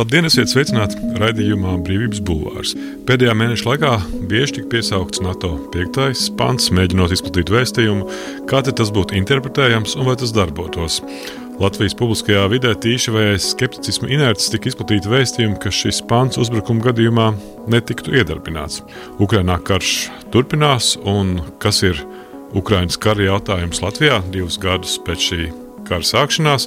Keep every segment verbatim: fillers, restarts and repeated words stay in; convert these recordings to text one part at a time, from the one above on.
Labdien, esiet sveicināti raidījumā Brīvības bulvārs. Pēdējā mēneša laikā bieži tika piesaukts NATO piektais pants, mēģinot izplatīt vēstījumu, kā tad tas būtu interpretējams un vai tas darbotos. Latvijas publiskajā vidē tīši vai aiz skepticisma inerces tika izplatīti vēstījumi, ka šis pants uzbrukuma gadījumā netiktu iedarbināts. Ukrainā karš turpinās, un kas ir Ukrainas kara jautājums Latvijā divus gadus pēc šī kara sākšanās,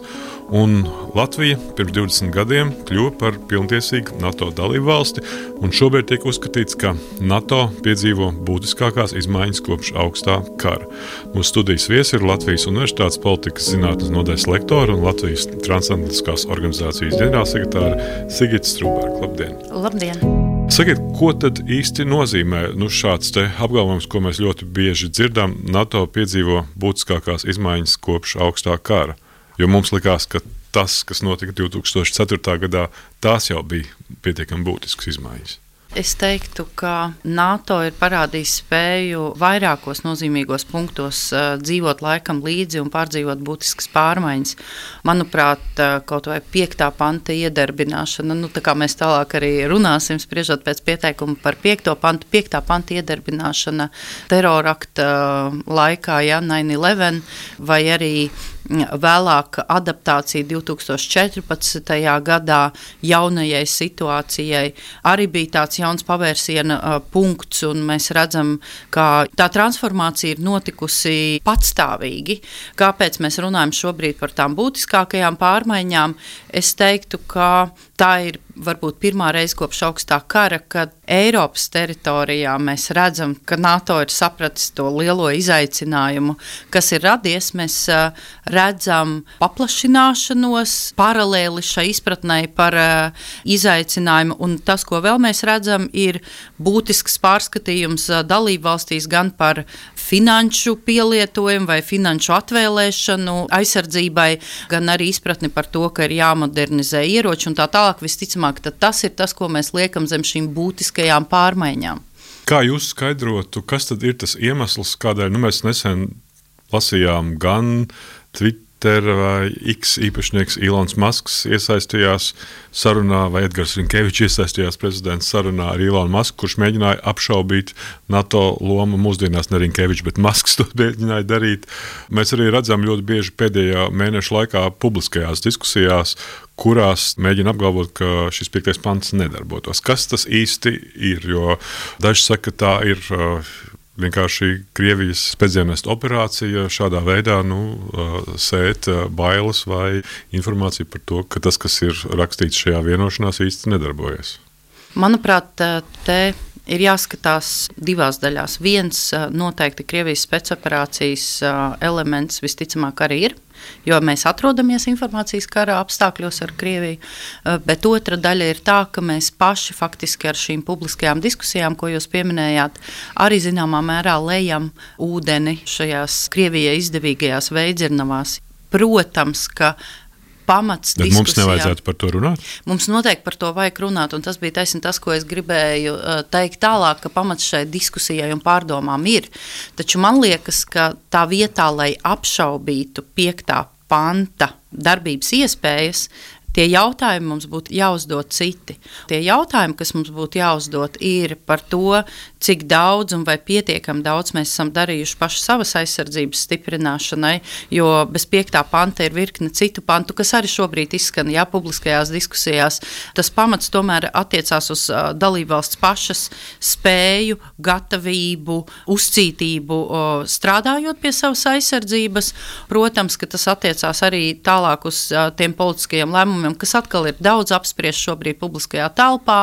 un Latvija pirms divdesmit gadiem kļuva par pilntiesīgu NATO dalību valsti, un šobrīd tiek uzskatīts, ka NATO piedzīvo būtiskākās izmaiņas kopš augstā kara. Mūsu studijas viesi ir Latvijas Universitātes politikas zinātnes nodaļas lektora un Latvijas transatlantiskās organizācijas ģenerālsekretāre Sigita Strūberga. Labdien! Labdien! Sakiet, ko tad īsti nozīmē nu, šāds te apgalvojums, ko mēs ļoti bieži dzirdam, NATO piedzīvo būtiskākās izmaiņas kopš augstā kara? Jo mums likās, ka tas, kas notika divi tūkstoši ceturtajā gadā, tās jau bija pietiekami būtiskas izmaiņas. Es teiktu, ka NATO ir parādījis spēju vairākos nozīmīgos punktos uh, dzīvot laikam līdzi un pārdzīvot būtiskas pārmaiņas. Manuprāt, uh, kaut vai piektā panta iedarbināšana, nu tā kā mēs tālāk arī runāsim, spriežot pēc pieteikuma par piekto pantu, piektā panta iedarbināšana terorakta uh, laikā, ja, nine eleven, vai arī vēlāk adaptācija divi tūkstoši četrpadsmitajā gadā jaunajai situācijai arī bija tāds jauns pavērsiena uh, punkts, un mēs redzam, ka tā transformācija ir notikusi patstāvīgi. Kāpēc mēs runājam šobrīd par tām būtiskākajām pārmaiņām? Es teiktu, ka tā ir varbūt pirmā reize kopš augstā kara, kad Eiropas teritorijā mēs redzam, ka NATO ir sapratis to lielo izaicinājumu, kas ir radies. Mēs uh, redzam paplašināšanos paralēli šai izpratnei par uh, izaicinājumu, un tas, ko vēl mēs redzam, ir būtisks pārskatījums uh, dalību valstīs gan par finanšu pielietojumu vai finanšu atvēlēšanu aizsardzībai, gan arī izpratni par to, ka ir jāmodernizē ieroči un tā tālāk. Visticamāk, tad tas ir tas, ko mēs liekam zem šīm būtiskajām pārmaiņām. Kā jūs skaidrotu, kas tad ir tas iemesls, kādēļ nu, mēs nesen lasījām gan Twitter vai X īpašnieks Ilons Masks iesaistījās sarunā, vai Edgars Rinkevičs iesaistījās prezidents sarunā ar Ilonu Masku, kurš mēģināja apšaubīt NATO lomu mūsdienās, ne Rinkevičs, bet Masks to mēģināja darīt. Mēs arī redzam ļoti bieži pēdējā mēneša laikā publiskajās diskusijās, kurās mēģina apgalvot, ka šis piektais pants nedarbotos. Kas tas īsti ir? Jo daži saka, ka tā ir uh, vienkārši Krievijas spēcdienestu operācija šādā veidā nu, sēt bailes vai informāciju par to, ka tas, kas ir rakstīts šajā vienošanās, īsti nedarbojas. Manuprāt, te ir jāskatās divās daļās. Viens noteikti Krievijas spēcoperācijas elements visticamāk arī ir, jo mēs atrodamies informācijas kara apstākļos ar Krieviju, bet otra daļa ir tā, ka mēs paši faktiski ar šīm publiskajām diskusijām, ko jūs pieminējāt, arī zināmā mērā lejam ūdeni šajās Krievijai izdevīgajās veidzirnavās. Protams, ka pamats bet diskusijām. Mums nevajadzētu par to runāt? Mums noteikti par to vajag runāt, un tas bija taisni tas, ko es gribēju uh, teikt tālāk, ka pamats šai diskusijai un pārdomām ir. Taču man liekas, ka tā vietā, lai apšaubītu piektā panta darbības iespējas, tie jautājumi mums būtu jāuzdod citi. Tie jautājumi, kas mums būtu jāuzdod, ir par to, cik daudz un vai pietiekami daudz mēs esam darījuši paši savas aizsardzības stiprināšanai, jo bez piektā panta ir virkne citu pantu, kas arī šobrīd izskan jā, publiskajās diskusijās. Tas pamats tomēr attiecās uz uh, dalībvalsts pašas spēju, gatavību, uzcītību uh, strādājot pie savas aizsardzības. Protams, ka tas attiecās arī tālāk uz uh, tiem politiskajiem lēmumiem, kas atkal ir daudz apspriests šobrīd publiskajā telpā,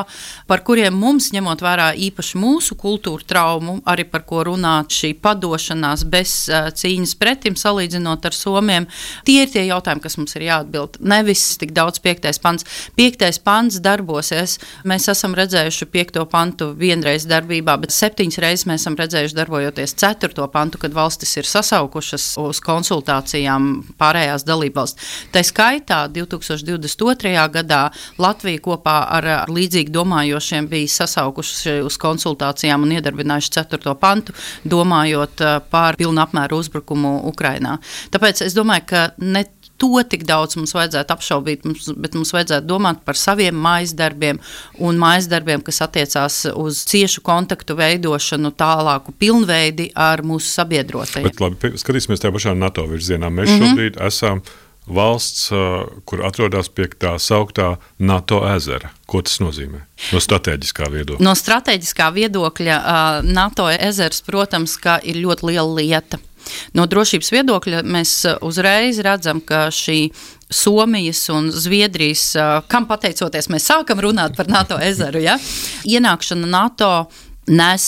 par kuriem mums, ņemot vērā īpaši mūsu kultūra traumu, arī par ko runāt šī padošanās bez uh, cīņas pretim, salīdzinot ar Somiem. Tie ir tie jautājumi, kas mums ir jāatbild. Nevis tik daudz piektais pants. Piektais pants darbosies. Mēs esam redzējuši piekto pantu vienreiz darbībā, bet septiņas reizes mēs esam redzējuši darbojoties ceturto pantu, kad valstis ir sasaukušas uz konsultācijām pārējās dalībvalsts. Tā skaitā divi tūkstoši divdesmit otrajā gadā Latvija kopā ar līdzīgi domājošiem bija sasaukuši uz konsultācijām un iedarbinājuši ceturto pantu, domājot par pilnu apmēru uzbrukumu Ukrainā. Tāpēc es domāju, ka ne to tik daudz mums vajadzētu apšaubīt, mums, bet mums vajadzētu domāt par saviem mājas darbiem un mājas darbiem, kas attiecās uz ciešu kontaktu veidošanu, tālāku pilnveidi ar mūsu sabiedrotajiem. Bet labi, skatīsimies tajā pašā NATO virzienā. Mēs mm-hmm. šobrīd esam valsts, kur atrodas pie tā sauktā NATO ezera. Ko tas nozīmē? No strateģiskā viedokļa. No strateģiskā viedokļa NATO ezers, protams, ka ir ļoti liela lieta. No drošības viedokļa mēs uzreiz redzam, ka šī Somijas un Zviedrijas, kam pateicoties mēs sākam runāt par NATO ezeru, ja? Ienākšana NATO nes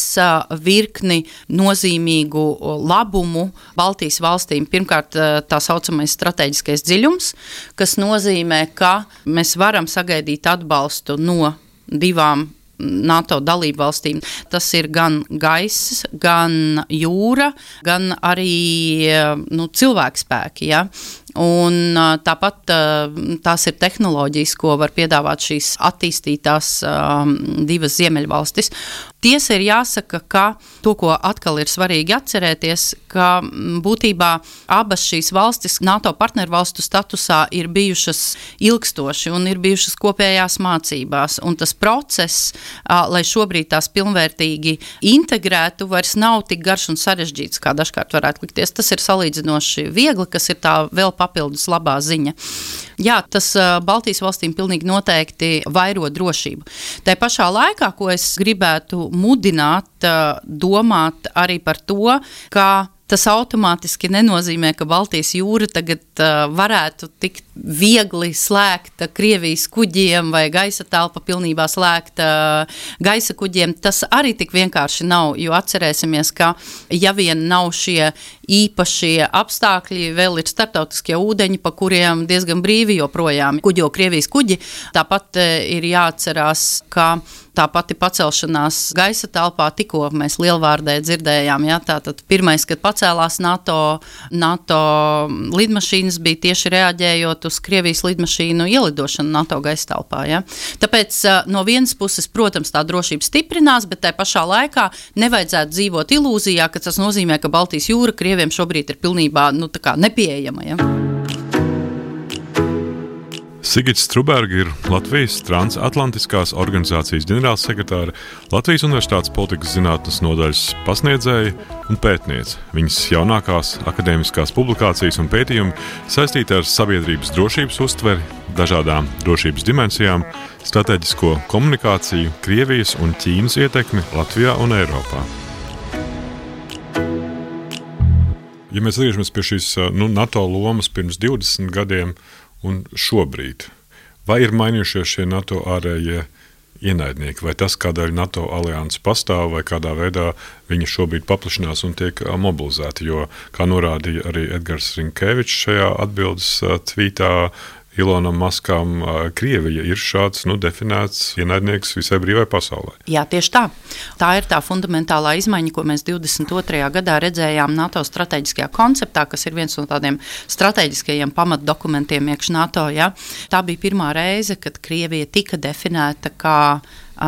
virkni nozīmīgu labumu Baltijas valstīm. Pirmkārt, tā saucamais strateģiskais dziļums, kas nozīmē, ka mēs varam sagaidīt atbalstu no divām NATO dalību valstīm. Tas ir gan gaiss, gan jūra, gan arī nu, cilvēkspēki. Ja? Un tāpat tās ir tehnoloģijas, ko var piedāvāt šīs attīstītās um, divas ziemeļvalstis. Tiesa ir jāsaka, ka to, ko atkal ir svarīgi atcerēties, ka būtībā abas šīs valstis NATO partnervalstu statusā ir bijušas ilgstoši un ir bijušas kopējās mācībās. Un tas process, lai šobrīd tās pilnvērtīgi integrētu, vairs nav tik garš un sarežģīts, kā dažkārt varētu likties. Tas ir salīdzinoši viegli, kas ir tā vēl papildus labā ziņa. Jā, tas Baltijas valstīm pilnīgi noteikti vairo drošību. Tā pašā laikā, ko es gribētu mudināt, domāt arī par to, ka tas automātiski nenozīmē, ka Baltijas jūra tagad uh, varētu tikt viegli slēgta Krievijas kuģiem vai gaisa telpa pilnībā slēgta gaisa kuģiem. Tas arī tik vienkārši nav, jo atcerēsimies, ka ja vien nav šie īpašie apstākļi, vēl ir starptautiskie ūdeņi, pa kuriem diezgan brīvi joprojām kuģo Krievijas kuģi. Tāpat uh, ir jāatcerās, ka tā pati pacelšanās gaisa telpā, tikko mēs lielvārdē dzirdējām, ja, tātad pirmais, kad pacēlās NATO, NATO lidmašīnas, bija tieši reaģējot uz Krievijas lidmašīnu ielidošanu NATO gaisa telpā. Ja. Tāpēc no vienas puses, protams, tā drošība stiprinās, bet tai pašā laikā nevajadzētu dzīvot ilūzijā, ka tas nozīmē, ka Baltijas jūra Krieviem šobrīd ir pilnībā nu, tā kā nepieejama. Ja. Sigita Struberga ir Latvijas transatlantiskās organizācijas ģenerālsekretāre, Latvijas Universitātes politikas zinātnes nodaļas pasniedzēja un pētniece. Viņas jaunākās akadēmiskās publikācijas un pētījumi saistīti ar sabiedrības drošības uztveri, dažādām drošības dimensijām, strateģisko komunikāciju, Krievijas un Ķīnas ietekmi Latvijā un Eiropā. Ja mēs atgriežamies pie šīs nu, NATO lomas pirms divdesmit gadiem, un šobrīd, vai ir mainījušies šie NATO ārējie ienaidnieki, vai tas, kādēļ NATO alianses pastāv, vai kādā veidā viņi šobrīd paplašinās un tiek mobilizēti, jo, kā norādīja arī Edgars Rinkevičs šajā atbildes tvītā, Ilonam Maskam, Krievija ir šāds nu, definēts ienaidnieks visai brīvai pasaulē. Jā, tieši tā. Tā ir tā fundamentālā izmaiņa, ko mēs divdesmit otrajā gadā redzējām NATO strateģiskajā konceptā, kas ir viens no tādiem strateģiskajiem pamatdokumentiem iekš NATO. Ja? Tā bija pirmā reize, kad Krievija tika definēta kā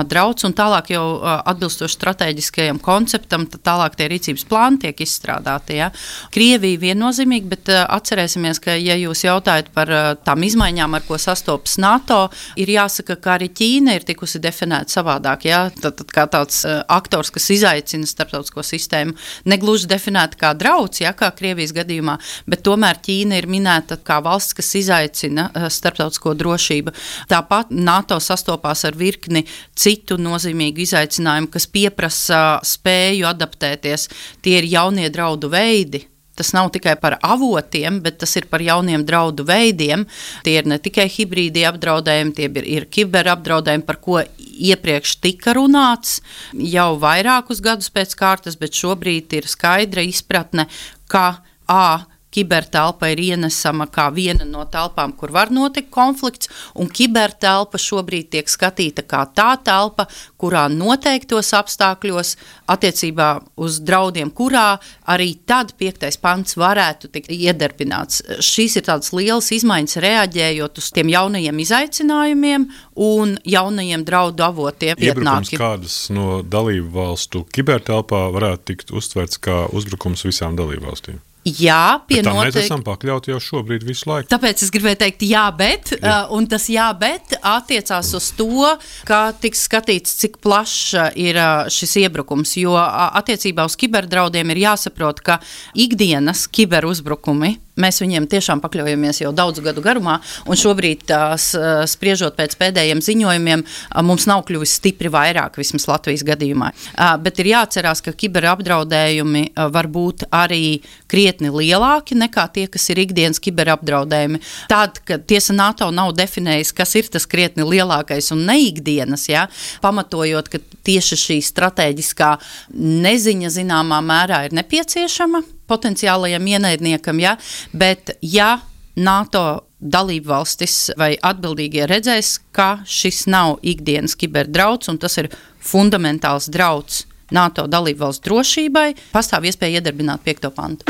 drauds, un tālāk jau atbilstoši strateģiskajam konceptam, tad tālāk tie rīcības plāni tiek izstrādāti. Ja? Krievija viennozīmīgi, bet atcerēsimies, ka, ja jūs jautājat par tām izmaiņām, ar ko sastopas NATO, ir jāsaka, ka arī Ķīna ir tikusi definēta savādāk. Ja? Tad, tad kā tāds aktors, kas izaicina starptautisko sistēmu, negluži definēta kā drauds, ja? Kā Krievijas gadījumā, bet tomēr Ķīna ir minēta kā valsts, kas izaicina starptautisko drošību. Tāpat NATO sastopās ar virkni citu nozīmīgu izaicinājumu, kas pieprasa spēju adaptēties. Tie ir jaunie draudu veidi. Tas nav tikai par avotiem, bet tas ir par jauniem draudu veidiem. Tie ir ne tikai hibrīdi apdraudējumi, tie ir, ir kiberapdraudējumi, par ko iepriekš tika runāts jau vairākus gadus pēc kārtas, bet šobrīd ir skaidra izpratne, ka A. Kibertelpa ir ienesama kā viena no telpām, kur var notikt konflikts, un kibertelpa šobrīd tiek skatīta kā tā telpa, kurā noteiktos apstākļos attiecībā uz draudiem, kurā arī tad piektais pants varētu tikt iedarbināts. Šīs ir tādas lielas izmaiņas reaģējot uz tiem jaunajiem izaicinājumiem un jaunajiem draudu avotiem. Iebrukums kādas no dalību valstu kibertelpā varētu tikt uztverts kā uzbrukums visām dalību valstīm? Jā, pie bet tā noteikti. Mēs esam pakļauti jau šobrīd visu laiku. Tāpēc es gribēju teikt jā, bet, jā. Uh, un tas jā, bet attiecās uz to, kā tiks skatīts, cik plašs ir uh, šis iebrukums, jo uh, attiecībā uz kiberdraudiem ir jāsaprot, ka ikdienas kiberuzbrukumi, mēs viņiem tiešām pakļaujamies jau daudzu gadu garumā, un šobrīd, tās, uh, spriežot pēc pēdējiem ziņojumiem, uh, mums nav kļuvis stipri vairāk, vismaz Latvijas gadījumā. Uh, bet ir jāatcerās, ka kiberapdraudējumi uh, var būt arī krietni lielāki nekā tie, kas ir ikdienas kiberapdraudējumi. Tād, ka tiesa NATO nav definējis, kas ir tas krietni lielākais un neikdienas, ja, pamatojot, ka tieši šī strateģiskā neziņa zināmā mērā ir nepieciešama potenciālajam ienaidniekam, ja, bet ja NATO dalību valstis vai atbildīgie redzēs, ka šis nav ikdienas kiberdrauds un tas ir fundamentāls drauds NATO dalību valsts drošībai, pastāv iespēja iedarbināt piekto pantu.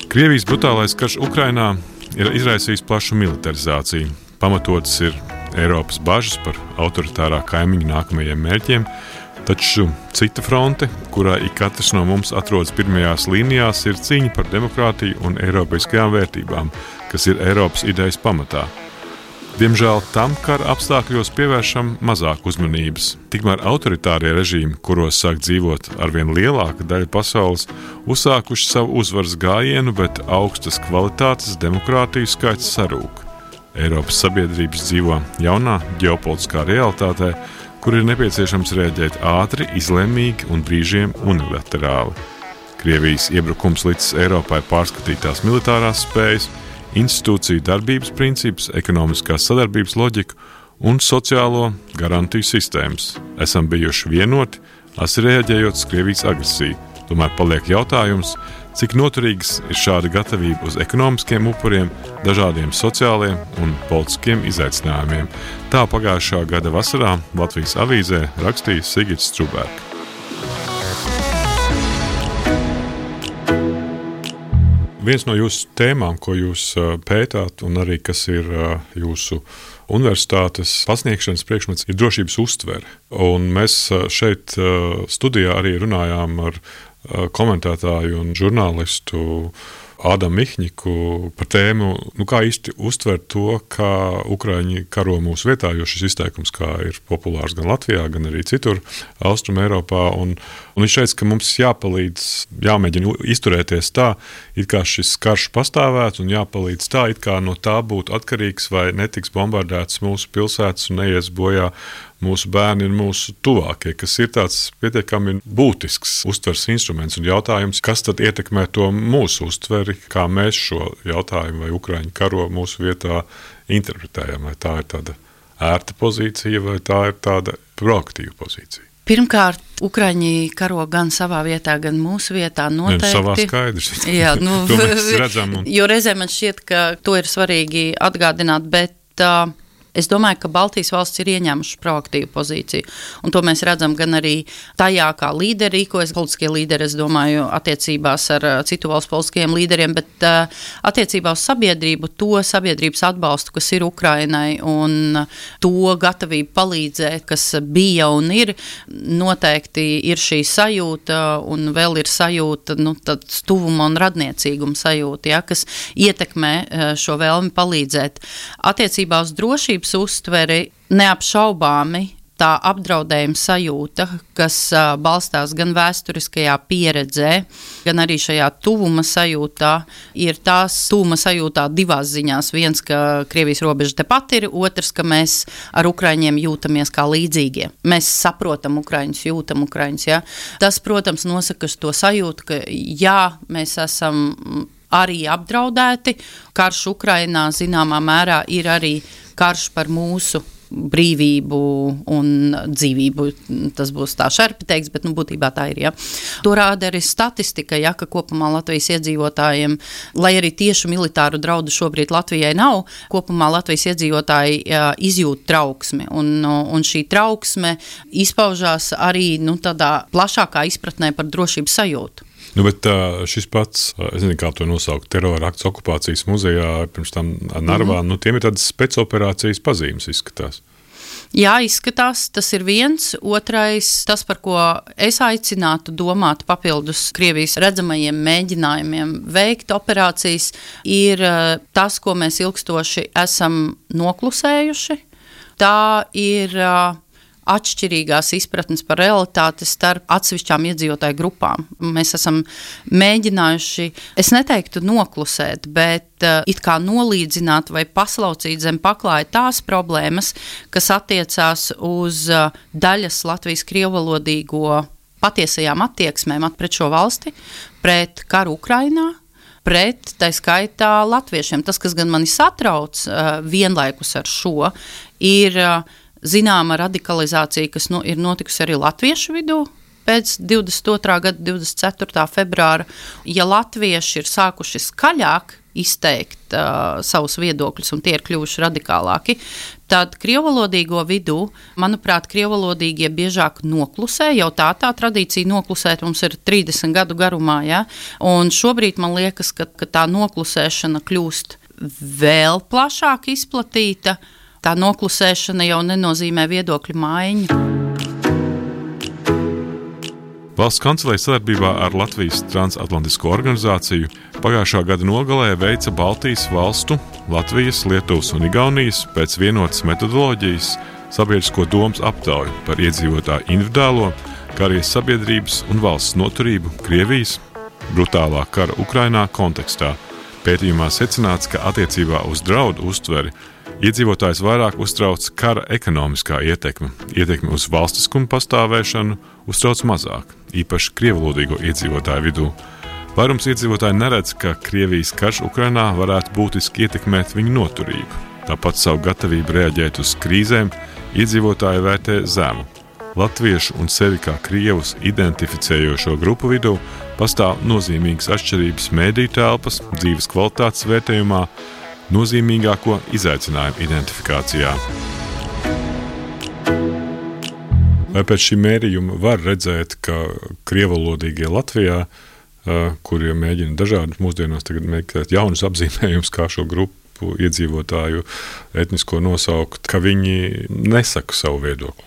Krievijas brutālais karš Ukrainā ir izraisījis plašu militarizāciju. Pamatotas ir Eiropas bažas par autoritārā kaimiņu nākamajiem mērķiem, taču cita fronte, kurā ik katrs no mums atrodas pirmajās līnijās, ir cīņa par demokrātiju un eiropeiskajām vērtībām, kas ir Eiropas idejas pamatā. Diemžēl tam kara apstākļos pievēršam mazāk uzmanības. Tikmēr autoritārie režīmi, kuros sāk dzīvot arvien lielāka daļa pasaules, uzsākuši savu uzvaras gājienu, bet augstas kvalitātes demokrātiju skaits sarūk. Eiropas sabiedrības dzīvo jaunā ģeopolitiskā realitātē, kur ir nepieciešams rēģēt ātri, izlēmīgi un brīžiem unilaterāli. Krievijas iebrukums līdz Eiropai pārskatīt tās militārās spējas, institūciju darbības principus, ekonomiskās sadarbības loģiku un sociālo garantiju sistēmas. Esam bijuši vienoti, asi reaģējot uz Krievijas agresiju. Tomēr paliek jautājums, cik noturīgas ir šāda gatavība uz ekonomiskiem upuriem, dažādiem sociāliem un politiskiem izaicinājumiem. Tā pagājušā gada vasarā Latvijas avīzē rakstīja Sigits Strubērka. Viens no jūsu tēmām, ko jūs pētāt un arī kas ir jūsu universitātes pasniegšanas priekšmets, ir drošības uztvere. Un mēs šeit studijā arī runājām ar komentētāju un žurnālistu Ādamu Mihņiku par tēmu, nu kā īsti uztvert to, kā Ukraiņi karo mūsu vietā, jo šis izteikums kā ir populārs gan Latvijā, gan arī citur Austrum Eiropā. Un, un viņš teica, ka mums jāpalīdz, jāmēģina izturēties tā, it kā šis karš pastāvētu un jāpalīdz tā, it kā no tā būtu atkarīgs vai netiks bombardēts mūsu pilsētas un neies bojā mūsu bērni un mūsu tuvākie, kas ir tāds pietiekami būtisks uztveres instruments un jautājums, kas tad ietekmē to mūsu uztveri, kā mēs šo jautājumu vai Ukraiņu karo mūsu vietā interpretējam, vai tā ir tāda ērta pozīcija vai tā ir tāda proaktīva pozīcija. Pirmkārt, Ukraiņi karo gan savā vietā, gan mūsu vietā noteikti. Ne, savā skaidrs. Jā, nu, to mēs redzam. Un... Jo reizē man šķiet, ka to ir svarīgi atgādināt, bet uh, es domāju, ka Baltijas valsts ir ieņēmušas proaktīvu pozīciju, un to mēs redzam gan arī tajā, kā līderi rīkojas, politiskie līderi, es domāju, attiecībās ar citu valstu politiskajiem līderiem, bet uh, attiecībā uz sabiedrību, to sabiedrības atbalstu, kas ir Ukrainai, un to gatavību palīdzēt, kas bija un ir, noteikti ir šī sajūta, un vēl ir sajūta, nu, tāds tuvuma un radniecīguma sajūta, ja, kas ietekmē šo vēlmi palīdzēt. Attiecībā uz drošības uztveri neapšaubāmi tā apdraudējuma sajūta, kas uh, balstās gan vēsturiskajā pieredzē, gan arī šajā tuvuma sajūtā, ir tās tuvuma sajūtā divās ziņās. Viens, ka Krievijas robeža tepat ir, otrs, ka mēs ar Ukraiņiem jūtamies kā līdzīgie. Mēs saprotam Ukraiņus, jūtam Ukraiņus. Ja? Tas, protams, nosaka to sajūtu, ka jā, mēs esam arī apdraudēti. Karš Ukrainā zināmā mērā ir arī karš par mūsu brīvību un dzīvību. Tas būs tā šerpi teiks, bet nu, būtībā tā ir. Ja. To rāda arī statistika, ja, ka kopumā Latvijas iedzīvotājiem, lai arī tieši militāru draudu šobrīd Latvijai nav, kopumā Latvijas iedzīvotāji ja, izjūt trauksmi. Un, un šī trauksme izpaužās arī nu, tādā plašākā izpratnē par drošības sajūtu. Nu, bet šis pats, es nezinu, kā to nosaukt, terora akts okupācijas muzejā, pirms tam Narvā, mm-hmm. nu, tiem ir tādas spēcoperācijas pazīmes izskatās. Jā, izskatās, tas ir viens. Otrais, tas, par ko es aicinātu domāt papildus Krievijas redzamajiem mēģinājumiem veikt operācijas, ir tas, ko mēs ilgstoši esam noklusējuši. Tā ir atšķirīgās izpratnes par realitāti starp atsevišķām iedzīvotāju grupām. Mēs esam mēģinājuši, es neteiktu noklusēt, bet uh, it kā nolīdzināt vai paslaucīt zem paklāja tās problēmas, kas attiecās uz uh, daļas Latvijas krievvalodīgo patiesajām attieksmēm pret šo valsti, pret karu Ukrainā, pret, tā skaitā, latviešiem. Tas, kas gan mani satrauc uh, vienlaikus ar šo, ir uh, zināma radikalizācija, kas nu, ir notikusi arī latviešu vidū pēc divdesmit otrā gada divdesmit ceturtā februāra. Ja latvieši ir sākuši skaļāk izteikt uh, savus viedokļus un tie ir kļuvuši radikālāki, tad krievvalodīgo vidū, manuprāt, krievvalodīgie biežāk noklusē, jau tā tā tradīcija noklusēt mums ir trīsdesmit gadu garumā, ja? Un šobrīd man liekas, ka, ka tā noklusēšana kļūst vēl plašāk izplatīta. Tā noklusēšana jau nenozīmē viedokļu maiņu. Valsts kancelēja sadarbībā ar Latvijas transatlantisko organizāciju pagājušā gada nogalē veica Baltijas valstu, Latvijas, Lietuvas un Igaunijas pēc vienotas metodoloģijas sabiedrisko domas aptauju par iedzīvotāju individuālo, kā arī sabiedrības un valsts noturību Krievijas brutālā kara Ukrainā kontekstā. Pētījumā secināts, ka attiecībā uz draudu uztveri iedzīvotājs vairāk uztrauc kara ekonomiskā ietekme, ietekme uz valstiskumu pastāvēšanu uztrauc mazāk, īpaši krievvalodīgo iedzīvotāju vidū. Vairums iedzīvotāji neredz, ka Krievijas karš Ukrainā varētu būtiski ietekmēt viņu noturību. Tāpat savu gatavību reaģēt uz krīzēm iedzīvotāji vērtē zemu. Latviešu un sevi kā krievus identificējošo grupu vidū pastāv nozīmīgas atšķirības mediju telpas, dzīves kvalitātes vērtējumā, nozīmīgāko izaicinājumu identifikācijā. Vai pēc šī mērījuma var redzēt, ka krievvalodīgie Latvijā, kuri mēģina dažādus mūsdienās tagad meklēt jaunus apzīmējumus, kā šo grupu iedzīvotāju etnisko nosaukt, ka viņi nesaka savu viedokli?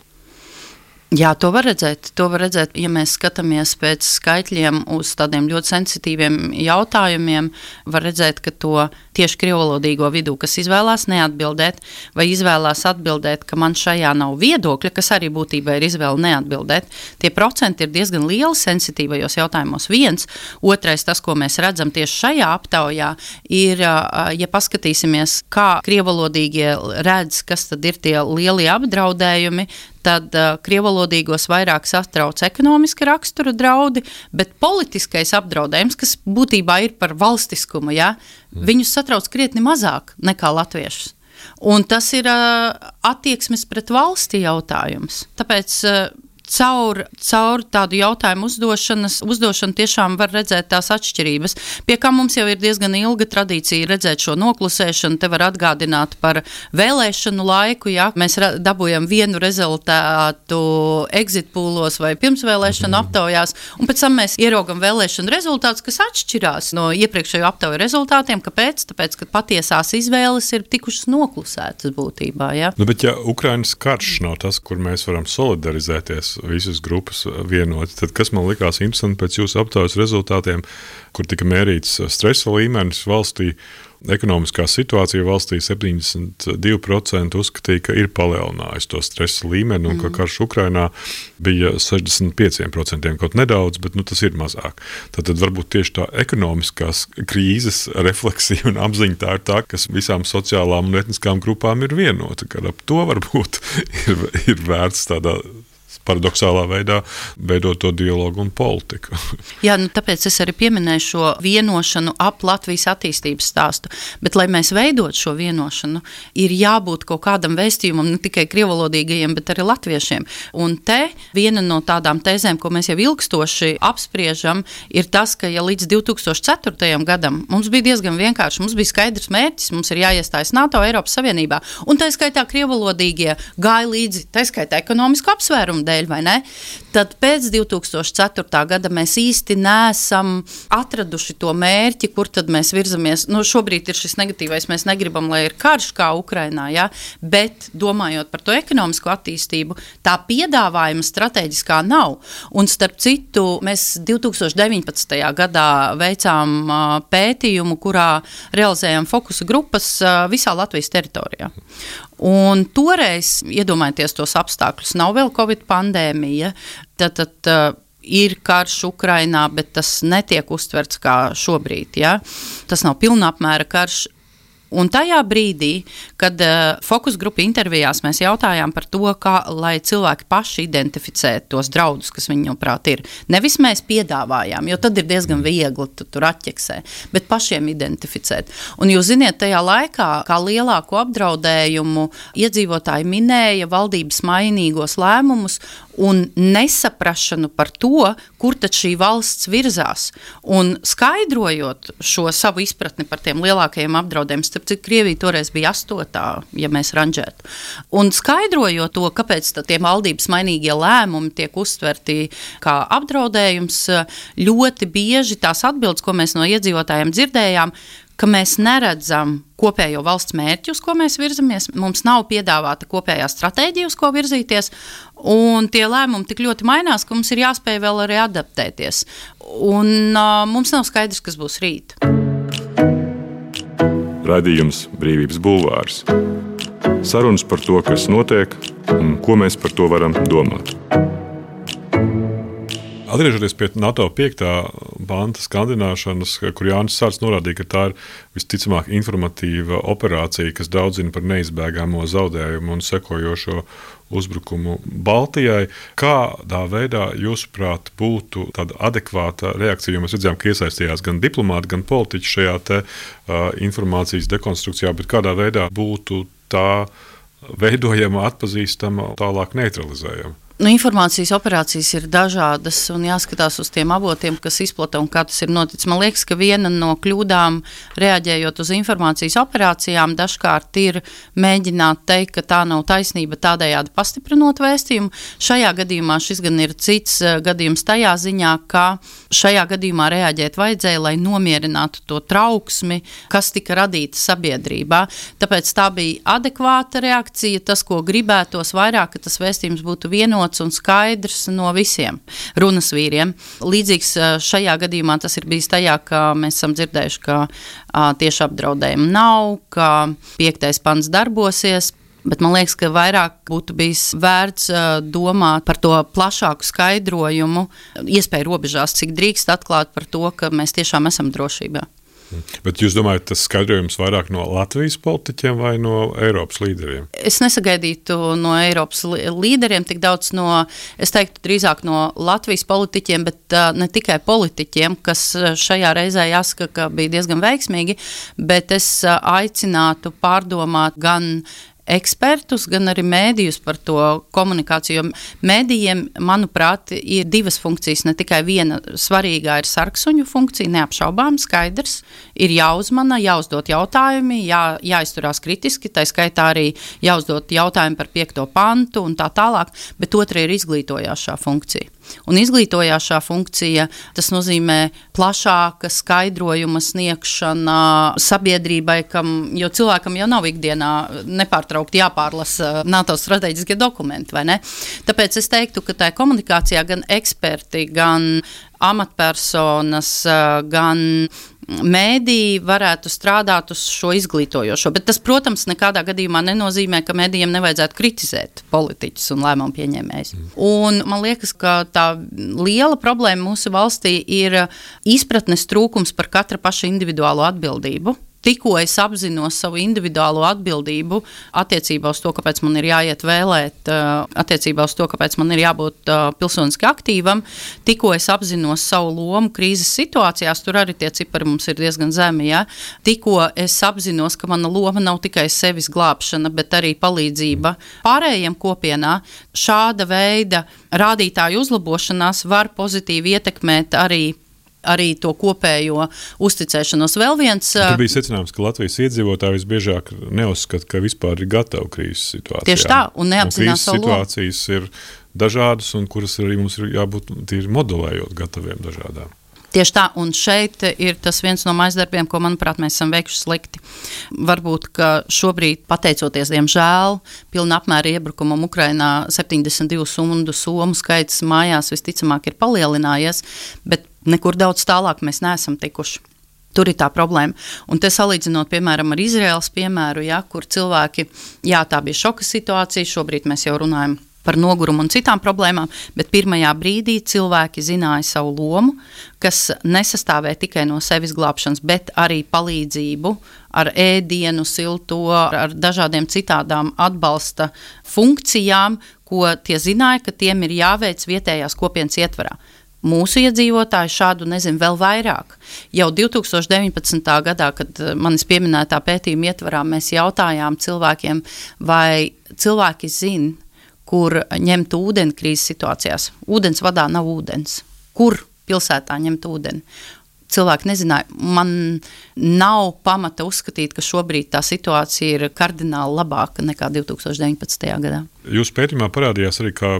Jā, to var redzēt. To var redzēt, ja mēs skatāmies pēc skaitļiem uz tādiem ļoti sensitīviem jautājumiem, var redzēt, ka to tieši krievvalodīgo vidū, kas izvēlās neatbildēt, vai izvēlās atbildēt, ka man šajā nav viedokļa, kas arī būtībā ir izvēle neatbildēt, tie procenti ir diezgan lieli sensitīvajos jautājumos. Viens, otrais, tas, ko mēs redzam tieši šajā aptaujā, ir, ja paskatīsimies, kā krievvalodīgie redz, kas tad ir tie lielie apdraudējumi, tad uh, krievvalodīgos vairāk satrauc ekonomiska rakstura draudi, bet politiskais apdraudējums, kas būtībā ir par valstiskumu, ja, mm. viņus satrauc krietni mazāk nekā latviešus. Un tas ir uh, attieksmes pret valsti jautājums. Tāpēc uh, caur, caur tādu jautājumu uzdošanas, uzdošanu tiešām var redzēt tās atšķirības, pie kā mums jau ir diezgan ilga tradīcija redzēt šo noklusēšanu. Te var atgādināt par vēlēšanu laiku, ja mēs dabūjam vienu rezultātu exit poolos vai pirmsvēlēšanu mm. aptaujās, un pēc tam mēs ieraugam vēlēšanu rezultātus, kas atšķirās no iepriekšējo aptauju rezultātiem. Kāpēc? Tāpēc, ka patiesās izvēles ir tikušas noklusētas būtībā. Ja? Nu, bet ja Ukrainas karš nav tas, kur mēs varam solidarizēties visas grupas vienoti, tad kas man likās interesanti pēc jūsu aptaujas rezultātiem, kur tika mērīts stresa līmenis valstī, ekonomiskā situācija valstī septiņdesmit divi procenti uzskatīja, ka ir palielinājusi to stresa līmeni un mm. ka karš Ukrainā bija sešdesmit pieci procenti, kaut nedaudz, bet nu, tas ir mazāk. Tātad varbūt tieši tā ekonomiskās krīzes refleksija un apziņa tā ir tā, kas visām sociālām un etniskām grupām ir vienota, ka ap to varbūt ir, ir vērts tādā paradoxālā veidā veidot to dialogu un politiku. Jā, nu tāpēc es arī pieminēju šo vienošanu ap Latvijas attīstības stāstu, bet, lai mēs veidot šo vienošanu, ir jābūt kaut kādam vēstījumam ne tikai krievvalodīgajiem, bet arī latviešiem. Un te viena no tādām tēzēm, ko mēs jau ilgstoši apspriežam, ir tas, ka ja līdz divi tūkstoši ceturtajam gadam mums bija diezgan vienkārši, mums bija skaidrs mērķis, mums ir jāiestājas NATO, Eiropas Savienībā, un tā skaitā krievvalodīgie gāja līdzi, tā skaitā ekonomisku apsvērumu dēļ, dēļ, vai ne? Tad pēc divi tūkstoši ceturtā gada mēs īsti neesam atraduši to mērķi, kur tad mēs virzamies. Nu, šobrīd ir šis negatīvais, mēs negribam, lai ir karš kā Ukrainā, ja? Bet domājot par to ekonomisko attīstību, tā piedāvājuma strateģiskā nav. Un starp citu, mēs divi tūkstoši deviņpadsmitajā gadā veicām uh, pētījumu, kurā realizējām fokusa grupas uh, visā Latvijas teritorijā. Un toreiz, iedomājieties tos apstākļus, nav vēl Covid pandēmija, tad, tad uh, ir karš Ukrainā, bet tas netiek uztverts kā šobrīd, ja? Tas nav pilnapmēra karš. Un tajā brīdī, kad uh, fokus grupa intervijās mēs jautājām par to, kā, lai cilvēki paši identificē tos draudus, kas viņuprāt ir. Nevis mēs piedāvājām, jo tad ir diezgan viegli tu tur atķeksē, bet pašiem identificēt. Un jūs ziniet, tajā laikā, kā lielāko apdraudējumu iedzīvotāji minēja valdības mainīgos lēmumus un nesaprašanu par to, kur tad šī valsts virzās. Un skaidrojot šo savu izpratni par tiem lielākajiem apdraudējumiem, starp cik Krievija toreiz bija astotā, ja mēs ranžētu. Un skaidrojot to, kāpēc tie valdības mainīgie lēmumi tiek uztverti kā apdraudējums, ļoti bieži tās atbildes, ko mēs no iedzīvotājiem dzirdējām, ka mēs neredzam kopējo valsts mērķi, uz ko mēs virzamies, mums nav piedāvāta kopējā stratēģija, uz ko virzīties, un tie lēmumi tik ļoti mainās, ka mums ir jāspēj vēl arī adaptēties. Un uh, mums nav skaidrs, kas būs rīt. Raidījums Brīvības bulvārs. Sarunas par to, kas notiek un ko mēs par to varam domāt. Atgriežoties pie NATO piektā panta skandināšanas, kur Jānis Sārts norādīja, ka tā ir visticamāk informatīva operācija, kas daudzina par neizbēgamo zaudējumu un sekojošo uzbrukumu Baltijai. Kādā veidā, jūsuprāt, būtu tāda adekvāta reakcija, jo mēs redzējām, ka iesaistījās gan diplomāti, gan politiķi šajā te uh, informācijas dekonstrukcijā, bet kādā veidā būtu tā veidojama, atpazīstama, tālāk neutralizējama? Nu, informācijas operācijas ir dažādas un jāskatās uz tiem avotiem, kas izplata un kā tas ir noticis. Man liekas, ka viena no kļūdām reaģējot uz informācijas operācijām dažkārt ir mēģināt teikt, ka tā nav taisnība, tādējādi pastiprinot vēstījumu. Šajā gadījumā šis gan ir cits gadījums tajā ziņā, ka šajā gadījumā reaģēt vajadzēja, lai nomierinātu to trauksmi, kas tika radīta sabiedrībā. Tāpēc tā bija adekvāta reakcija, tas, ko gribētos vairāk, ka tas vēstījums būtu vienots un skaidrs no visiem runas vīriem. Līdzīgs šajā gadījumā tas ir bijis tajā, ka mēs esam dzirdējuši, ka a, tieši apdraudējumu nav, ka piektais pants darbosies, bet man liekas, ka vairāk būtu bijis vērts uh, domāt par to plašāku skaidrojumu, iespēju robežās, cik drīkst atklāt par to, ka mēs tiešām esam drošībā. Bet jūs domājat, tas skaidrojums vairāk no Latvijas politiķiem vai no Eiropas līderiem? Es nesagaidītu no Eiropas līderiem tik daudz no, es teiktu, drīzāk no Latvijas politiķiem, bet uh, ne tikai politiķiem, kas šajā reizē jāsaka, ka bija diezgan veiksmīgi, bet es uh, aicinātu pārdomāt gan ekspertus, gan arī mēdījus par to komunikāciju, jo mēdījiem, manuprāt, ir divas funkcijas, ne tikai viena svarīgā ir sarksuņu funkcija, neapšaubām, skaidrs, ir jāuzmana, jāuzdot jautājumi, jā, jāizturās kritiski, tā skaitā arī jāuzdot jautājumi par piekto pantu un tā tālāk, bet otra ir izglītojošā funkcija. Un izglītojošā funkcija, tas nozīmē plašāka skaidrojuma sniegšana sabiedrībai, kam, jo cilvēkam jau nav ikdienā nepārtraukti jāpārlasa NATO strateģiskie dokumenti, vai ne? Tāpēc es teiktu, ka tā komunikācijā gan eksperti, gan amatpersonas, gan mēdī varētu strādāt uz šo izglītojošo, bet tas, protams, nekādā gadījumā nenozīmē, ka mēdījiem nevajadzētu kritizēt politiķus un lēmumu pieņēmējus. Un man liekas, ka tā liela problēma mūsu valstī ir izpratnes trūkums par katra paša individuālo atbildību. Tikko es apzinos savu individuālo atbildību attiecībā uz to, kāpēc man ir jāiet vēlēt, attiecībā uz to, kāpēc man ir jābūt pilsoniski aktīvam, tikko es apzinos savu lomu krīzes situācijās, tur arī tie cipari mums ir diezgan zemi, ja? Tikko es apzinos, ka mana loma nav tikai sevis glābšana, bet arī palīdzība pārējiem kopienā, šāda veida rādītāju uzlabošanās var pozitīvi ietekmēt arī arī to kopējo uzticēšanos. Vēl viens... Tur bija secinājums, ka Latvijas iedzīvotāji visbiežāk neuzskata, ka vispār ir gatavi krīzes situācijām. Tieši tā, un neapzinās savu lomu. Situācijas ir dažādas, un kuras arī mums ir jābūt tīri modelējot gataviem dažādām. Tieši tā, un šeit ir tas viens no maizdarbiem, ko, manuprāt, mēs esam veikuši slikti. Varbūt, ka šobrīd, pateicoties, diemžēl, pilna apmēra iebrukumam Ukrainā septiņdesmit divu stundu somu skaits mājās visticamāk ir palielinājies, bet nekur daudz tālāk mēs neesam tikuši. Tur ir tā problēma. Un te salīdzinot, piemēram, ar Izraēlas piemēru, ja, kur cilvēki, jā, tā bija šoka situācija, šobrīd mēs jau runājam par nogurumu un citām problēmām, bet pirmajā brīdī cilvēki zināja savu lomu, kas nesastāvē tikai no sevis glābšanas, bet arī palīdzību ar ēdienu, silto, ar dažādiem citādām atbalsta funkcijām, ko tie zināja, ka tiem ir jāveic vietējās kopienas ietvarā. Mūsu iedzīvotāji šādu nezinu vēl vairāk. Jau divtūkstoš deviņpadsmitā gadā, kad manis pieminētā pētījuma ietvarā, mēs jautājām cilvēkiem, vai cilvēki zina, kur ņemt ūdeni krīzes situācijās. Ūdens vadā nav ūdens. Kur pilsētā ņemt ūdeni? Cilvēki nezināja. Man nav pamata uzskatīt, ka šobrīd tā situācija ir kardināli labāka nekā divtūkstoš deviņpadsmitajā gadā. Jūsu pētījumā parādījās arī, ka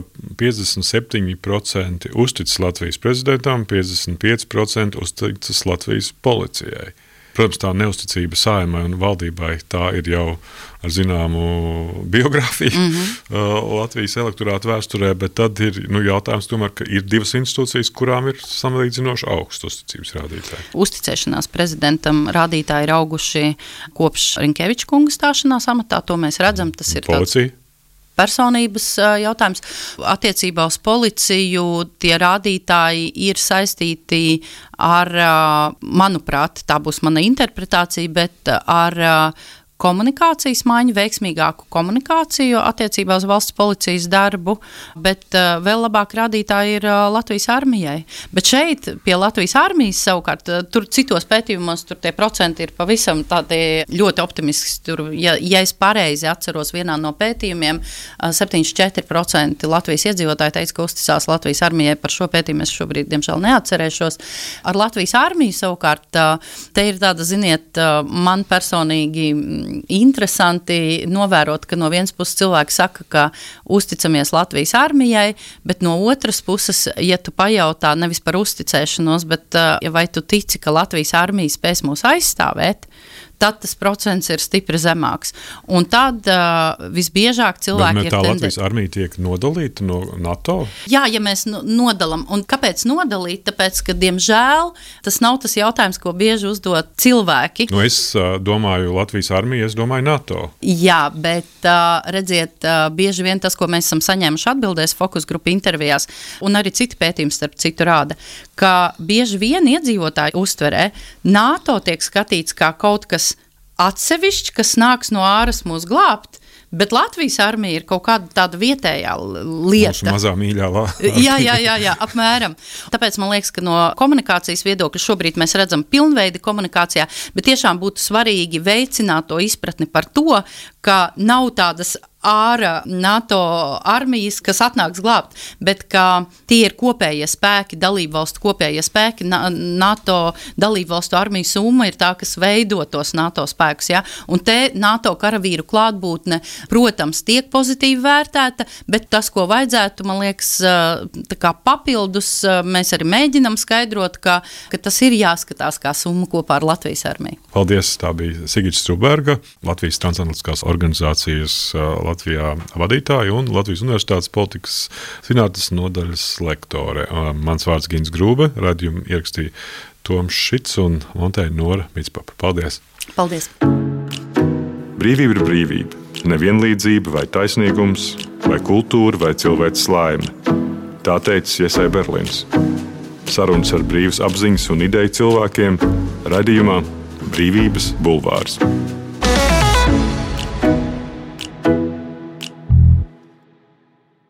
piecdesmit septiņi procenti uzticas Latvijas prezidentam, piecdesmit pieci procenti uzticas Latvijas policijai. Protams, tā neusticība Saeimai un valdībai, tā ir jau ar zināmu biogrāfiju mm-hmm. Latvijas elektorāta vēsturē, bet tad ir nu, jautājums tomēr, ka ir divas institūcijas, kurām ir samlīdzinoši augsts uzticības rādītāji. Uzticēšanās prezidentam rādītāji ir auguši kopš Rinkeviča kunga stāšanās amatā, to mēs redzam, tas ir Policija. Tāds personības jautājums. Attiecībā uz policiju tie rādītāji ir saistīti ar, manuprāt, tā būs mana interpretācija, bet ar komunikācijas maiņu, veiksmīgāku komunikāciju attiecībā uz valsts policijas darbu, bet uh, vēl labāk rādītāji ir uh, Latvijas armijai. Bet šeit pie Latvijas armijas savukārt, uh, tur citos pētījumos, tur tie procenti ir pavisam tādi ļoti optimiski. Tur, ja, ja es pareizi atceros vienā no pētījumiem, uh, septiņdesmit četri procenti Latvijas iedzīvotāji teica, ka uzticās Latvijas armijai. Par šo pētījumu es šobrīd, diemžēl, neatcerēšos. Ar Latvijas armiju savukārt, uh, te ir tāda, ziniet, uh, man personīgi interesanti novērot, ka no vienas puses cilvēki saka, ka uzticamies Latvijas armijai, bet no otras puses, ja tu pajautā nevis par uzticēšanos, bet ja vai tu tici, ka Latvijas armija spēs mūs aizstāvēt, tad tas procents ir stipri zemāks. Un tad uh, visbiežāk cilvēki ir... Bet tā Latvijas armija tiek nodalīta no NATO? Jā, ja mēs nodalam. Un kāpēc nodalīt? Tāpēc, ka, diemžēl, tas nav tas jautājums, ko bieži uzdod cilvēki. Nu, es uh, domāju Latvijas armiju, es domāju NATO. Jā, bet uh, redziet, uh, bieži vien tas, ko mēs esam saņēmuši atbildēs fokus grupu intervijās, un arī citi pētījumi starp citu rāda, ka bieži vien iedzīvotāji uztverē NATO tiek skatīts kā kaut kas atsevišķi, kas nāks no āras mūs glābt, bet Latvijas armija ir kaut kāda tāda vietējā lieta. Mūsu mazā mīļā lāta. jā, jā, jā, jā, apmēram. Tāpēc man liekas, ka no komunikācijas viedokļa šobrīd mēs redzam pilnveidi komunikācijā, bet tiešām būtu svarīgi veicināt to izpratni par to, ka nav tādas ārā NATO armijas, kas atnāks glābt, bet ka tie ir kopējie spēki, dalību valstu kopējie spēki, NATO dalību valstu armiju summa ir tā, kas veido tos NATO spēkus, ja? Un te NATO karavīru klātbūtne, protams, tiek pozitīvi vērtēta, bet tas, ko vajadzētu, man liekas, tā kā papildus, mēs arī mēģinam skaidrot, ka, ka tas ir jāskatās kā summa kopā ar Latvijas armiju. Paldies, tā bija Sigita Struberga, Latvijas transatlantiskās organizācijas Latvijā vadītāja un Latvijas Universitātes politikas zinātnes nodaļas lektore. Mans vārds Gins Grūbe, raidījumu ierakstīja Toms Šits un montēja Nora Mitspapa. Paldies! Paldies! Brīvība ir brīvība. Nevienlīdzība vai taisnīgums, vai kultūra, vai cilvēks laime. Tā teica Iesai Berlins. Sarunas ar brīvas apziņas un ideju cilvēkiem raidījumā Brīvības bulvārs.